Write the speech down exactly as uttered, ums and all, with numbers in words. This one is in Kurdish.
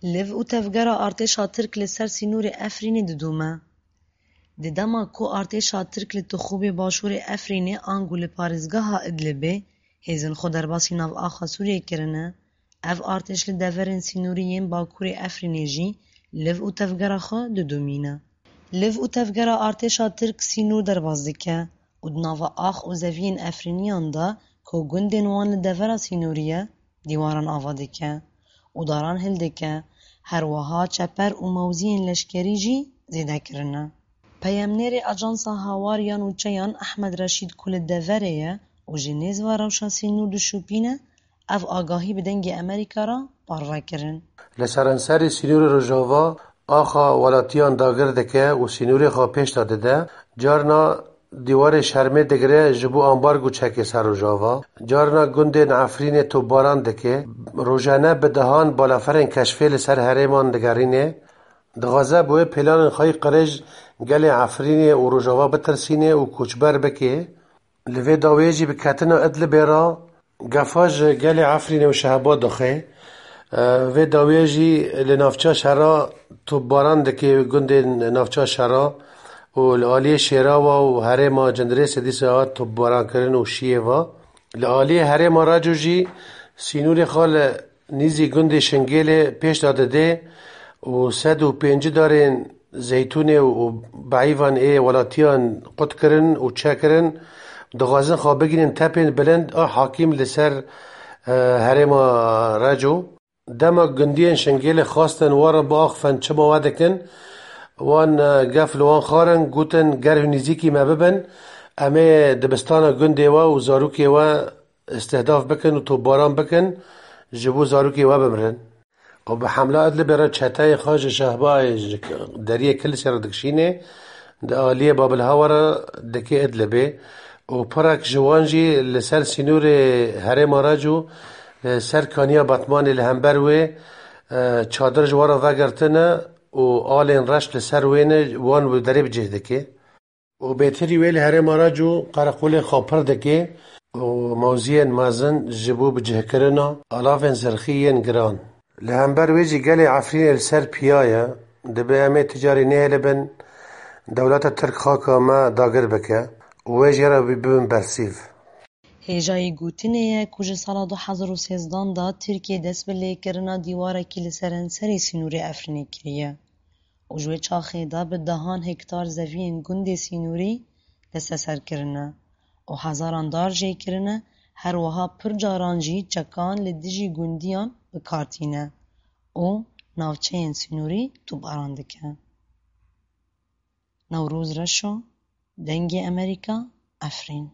Liv û tevgera artêşa Tirk li ser sînorê Efrînê didome. Di dema ku artêşa Tirk li Tixûbê başûrê Efrînê ango li parêzgeha Idlibê hêzên xwe derbasî nav axa Sûriyê kirine, ev artêş li deverên sînorî yên bakurê Efrînê jî liv û tevgera xwe didomîne. Liv û tevgera artêşa Tirk sînor derbas dike û di nava ax û zeviyên Efrîniyan de ku gundên wan li devera sînorî ye, dîwaran ava dike û daran hildike, her wiha çeper û mewziyên leşkerî jî zêde kirine. Peyamnêrê Ajansa Hawar ya Nûçeyan Ehmed Reşîd ku li deverê ye û ji nêz ve rewşa sînor dişopîne, ev agahî bi Dengê Amerîka re parve kirin. Li seranserê sînorê Rojava axa welatiyan dagir dike û sînorê xwe pêş de dide. Carna dîwarê şermê digire ji bo ambargo çekê ser Rojava. Carna gundên Efrînê topbaran dike. Rojane bi dehan balaferên keşfê li ser herêman digerîne. Dixwaze bi wê planên xwe yî qirêj gelê Efrînê û Rojava bitirsîne û koçber bike. Li vê dawiyê jî bi ketina Idlibê re gefa ji gelê Efrînê û Şehba dixê. Vê dawiyê jî li navça şera topbaran dike gundên navça şera û li aliyê Şêrawa û herêma Cindirêsê dîsa hat topbarankirin û şiyê ve. Li aliyê herêma Reco jî sînorê xwe li nîzî gundê Şingêlê pêş de dide û sed û pêncî darên zeytûnê û beîvan ê welatiyan qut kirin û çekirin, dixwazin xwe bigihînin tepên bilind a hakîm li ser, e, herêma Reco. Dema gundiyên Şingêlê xwestin we re biaxifin çima we dikin, wan, e, gef li wan xwarin, gotin, ger hûn nîzîkî me bibin, em ê dibistana gundê we û zarokê we îstihdaf bikin û topbaran bikin, ji bo zarokê we bimirin. Û bi hemla Idlibê re çeteyê xwe ji Şehbayê ji deriyê Kilisê re dikişînê, di aliyê Babilhawa re dike Idlibê û pirek ji wan jî li ser sînorê herêma Reco, li ser kaniya Batmanê li hember wê, e, çadir ji wan re vegirtine û alên reş li ser wê ne, wan bi derê bi cih dike. Û bêtirî wê li herêma Reco qereqolên xwe pir dike û mewziyên mezin ji bo bicihkirina alavên zirxî yên giran. Li hember wê jî gelê Efrînê li ser piya ye, dibe em ê ti carî nehêlibin dewleta Tirk xaka me dagir bike û wê jê re bibin bersîv. Hêjayî gotinê ye ku ji sala du hezar û sêzdan de Tirkiye dest bi lêkirina dîwarekî li seranserê sînorê Efrînê kiriye û ji wê çaxê de bi dehan hektar zeviyên gundê sînorî desteser kirine û hezaran dar jê kirine, her wiha pir caran jî çekan li dijî gundiyan bi kar tîne û navçeyên sînorî topbaran dike. Newroz Reşo, Dengê Amerîka, Efrîn.